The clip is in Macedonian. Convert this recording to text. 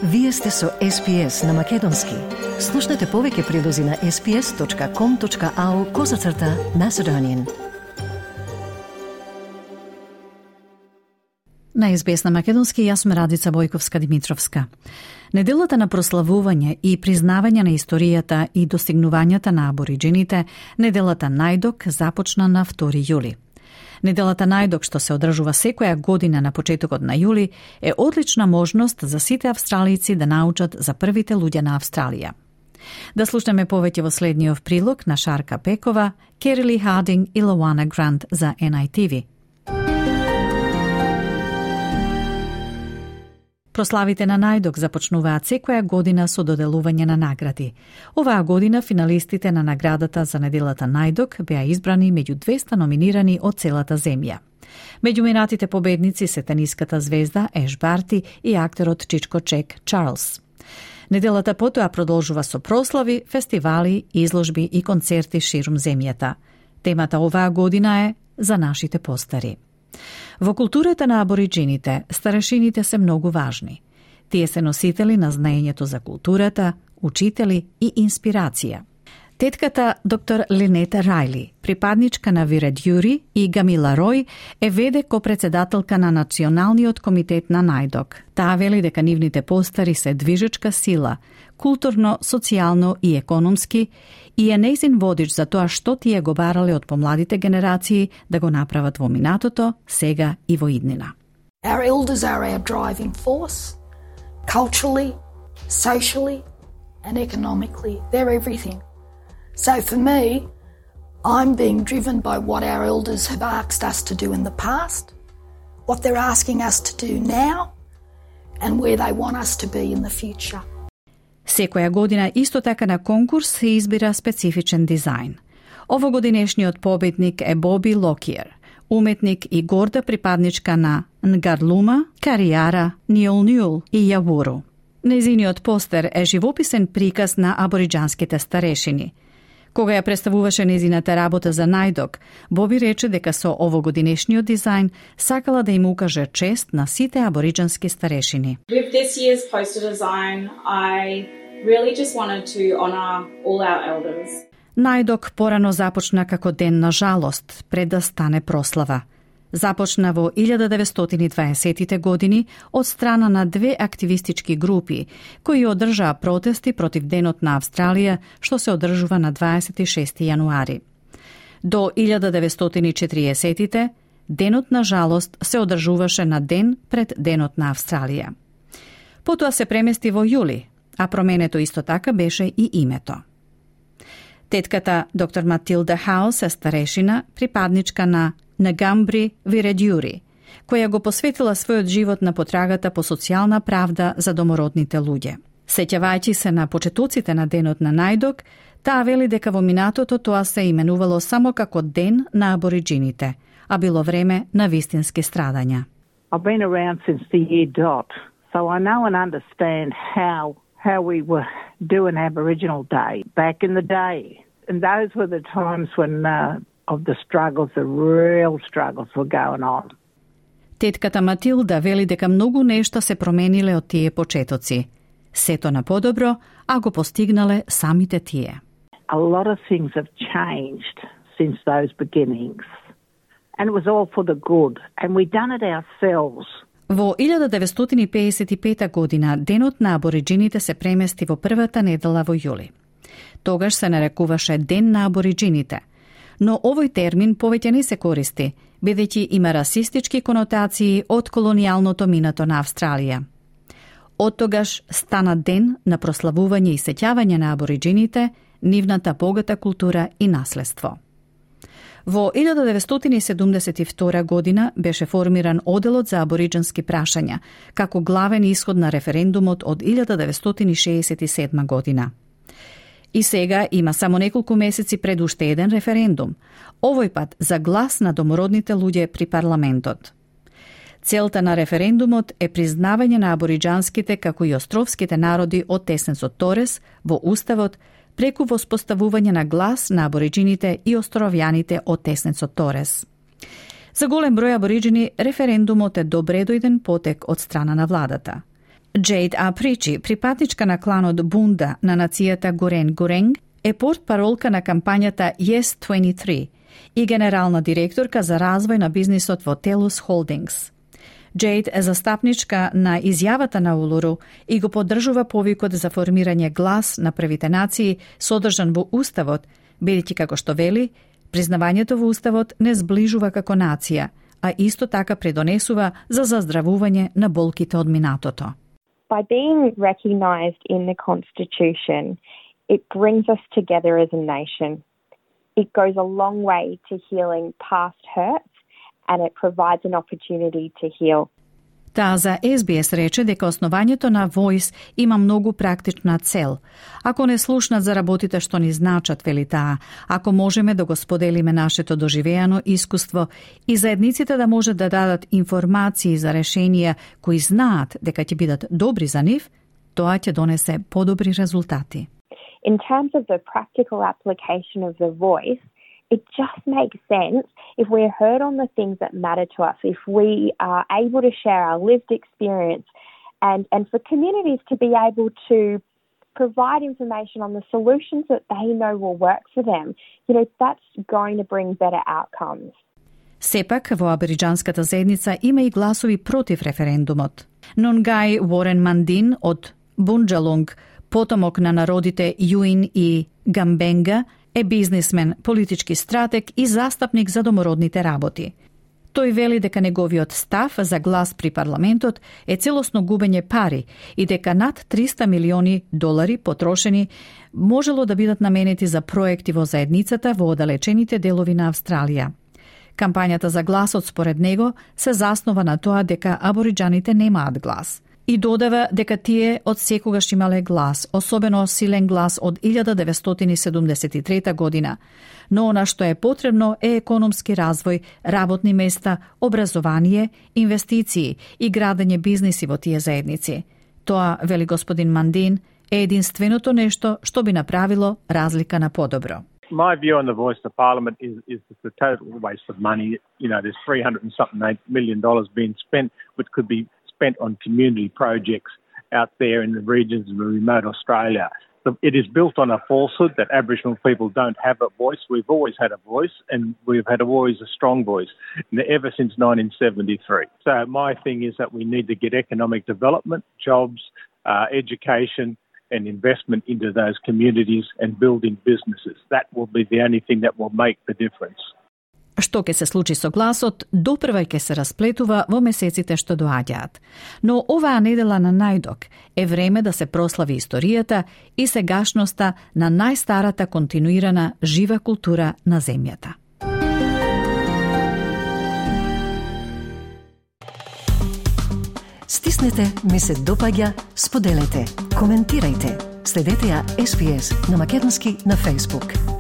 Вие сте со SPS на Македонски. Слушнете повеќе прилози на sps.com.au/Macedonian. На SBS на Македонски, јас сум Радица Бојковска-Димитровска. Неделата на прославување и признавање на историјата и достигнувањата на абориджините, неделата Најдок, започна на 2 јули. Неделата Најдок, што се одржува секоја година на почетокот на јули, е одлична можност за сите австралијци да научат за првите луѓе на Австралија. Да слушнеме повеќе во следниот прилог на Шарка Пекова, Керили Хардинг и Лоана Грант за NITV. Прославите на Најдок започнуваат секоја година со доделување на награди. Оваа година финалистите на наградата за неделата Најдок беа избрани меѓу 200 номинирани од целата земја. Меѓу минатите победници се тениската звезда Еш Барти и актерот Чичко Чек Чарлс. Неделата потоа продолжува со прослави, фестивали, изложби и концерти ширум земјата. Темата оваа година е за нашите постари. Во културата на абориджините, старешините се многу важни. Тие се носители на знаењето за културата, учители и инспирација. Тетката доктор Линета Рајли, припадничка на Виредјури, и Гамила Рој е веде копредседателка на Националниот комитет на Најдок. Таа вели дека нивните постари се движечка сила, културно, социјално и економски, и е нејзин водич за тоа што тие го барале од помладите генерации да го направат во минатото, сега и во иднина. Our elders are our driving force, culturally, socially and economically. They're everything. So for me, I'm being driven by what our elders have asked us to do in the past, what they're asking us to do now, and where they want us to be in the future. Секоја година исто така на конкурс се избира специфичен дизајн. Овогодинешниот победник е Боби Локиер, уметник и горда припадничка на Нгадлума, Кариара, Ниол и Јавуру. Нејзиниот постер е живописен приказ на абориџанските старешини. Кога ја представуваше нејзината работа за Најдок, Боби рече дека со овогодинешниот дизајн сакала да им укаже чест на сите абориџански старешини. With this year's poster design, I really just wanted to honor all our elders. Најдок порано започна како ден на жалост, пред да стане прослава. Започна во 1920-тите години од страна на две активистички групи, кои одржаа протести против Денот на Австралија, што се одржува на 26 јануари. До 1940-тите, Денот на жалост се одржуваше на ден пред Денот на Австралија. Потоа се премести во јули, а променето исто така беше и името. Тетката доктор Матилда Хаус е старешина, припадничка на Ngambri Viredjuri, која го посветила својот живот на потрагата по социјална правда за домородните луѓе. Сеќавајќи се на почетоците на Денот на Најдок, таа вели дека во минатото тоа се именувало само како Ден на абориджините, а било време на вистински страдања. I've been around since the year dot, so I know and understand how we were doing Aboriginal Day back in the day. And those were the times when of the struggles, the real struggles were going on. Тетката Матилда вели дека многу нешта се промениле од тие почетоци. Сето на подобро, а го постигнале самите тие. A lot of things have changed since those beginnings. And it was all for the good. And we done it ourselves. Во 1955 година Денот на абориджините се премести во првата недела во јули. Тогаш се нарекуваше Ден на абориджините, но овој термин повеќе не се користи, бидејќи има расистички конотации од колонијалното минато на Австралија. Од тогаш стана ден на прославување и сеќавање на абориджините, нивната богата култура и наследство. Во 1972 година беше формиран Оделот за абориџански прашања, како главен исход на референдумот од 1967 година. И сега има само неколку месеци пред уште еден референдум, овој пат за глас на домородните луѓе при парламентот. Целта на референдумот е признавање на абориџанските како и островските народи од Тесенсот Торес во уставот преку воспоставување на глас на абориџините и островјаните од Тесенсот Торес. За голем број абориџини референдумот е добредојден потек од страна на владата. Джейд Апричи, припатничка на кланот Бунда на нацијата Горен-Горенг, е портпаролка на кампањата Yes 23 и генерална директорка за развој на бизнисот во Телус Холдингс. Джейд е застапничка на изјавата на Улуру и го поддржува повикот за формирање глас на првите нации содржан во Уставот, бидејќи како што вели, признавањето во Уставот не зближува како нација, а исто така предонесува за заздравување на болките од минатото. By being recognised in the Constitution, it brings us together as a nation. It goes a long way to healing past hurts and it provides an opportunity to heal. Таа за СБС рече дека основањето на Voice има многу практична цел. Ако не слушнат за работите што ни значат, вели таа, ако можеме да го споделиме нашето доживеано искуство и заедниците да можат да дадат информации за решенија кои знаат дека ќе бидат добри за нив, тоа ќе донесе подобри резултати. In terms of the practical application of the Voice, it just makes sense if we're heard on the things that matter to us, if we are able to share our lived experience and for communities to be able to provide information on the solutions that they know will work for them. You know, that's going to bring better outcomes. Сепак, во абориџанската заедница има и гласови против референдумот. Нунгај Уорен Мандин од Бунџалунг, потомок на народите Јуин и Гамбенга, е бизнисмен, политички стратег и застапник за домородните работи. Тој вели дека неговиот став за глас при парламентот е целосно губење пари и дека над $300 милиони потрошени можело да бидат наменети за проекти во заедницата во оддалечените делови на Австралија. Кампањата за гласот според него се заснова на тоа дека абориџаните немаат глас. И додава дека тие од секогаш имале глас, особено силен глас од 1973 година. Но она што е потребно е економски развој, работни места, образование, инвестиции и градење бизниси во тие заедници. Тоа, вели господин Мандин, е единственото нешто што би направило разлика на подобро. My view on the Voice to Parliament is the total waste of money. You know, there's $300 million being spent, which could be spent on community projects out there in the regions of remote Australia. It is built on a falsehood that Aboriginal people don't have a voice. We've always had a voice, and we've had always a strong voice, ever since 1973. So my thing is that we need to get economic development, jobs, education, and investment into those communities and building businesses. That will be the only thing that will make the difference. Што ќе се случи со гласот, допрва ќе се расплетува во месеците што доаѓаат. Но оваа недела на најдок е време да се прослави историјата и сегашноста на најстарата континуирана жива култура на земјата. Стиснете, ми се допаѓа, споделете, коментирајте. Следете ја SPS на Македонски на Facebook.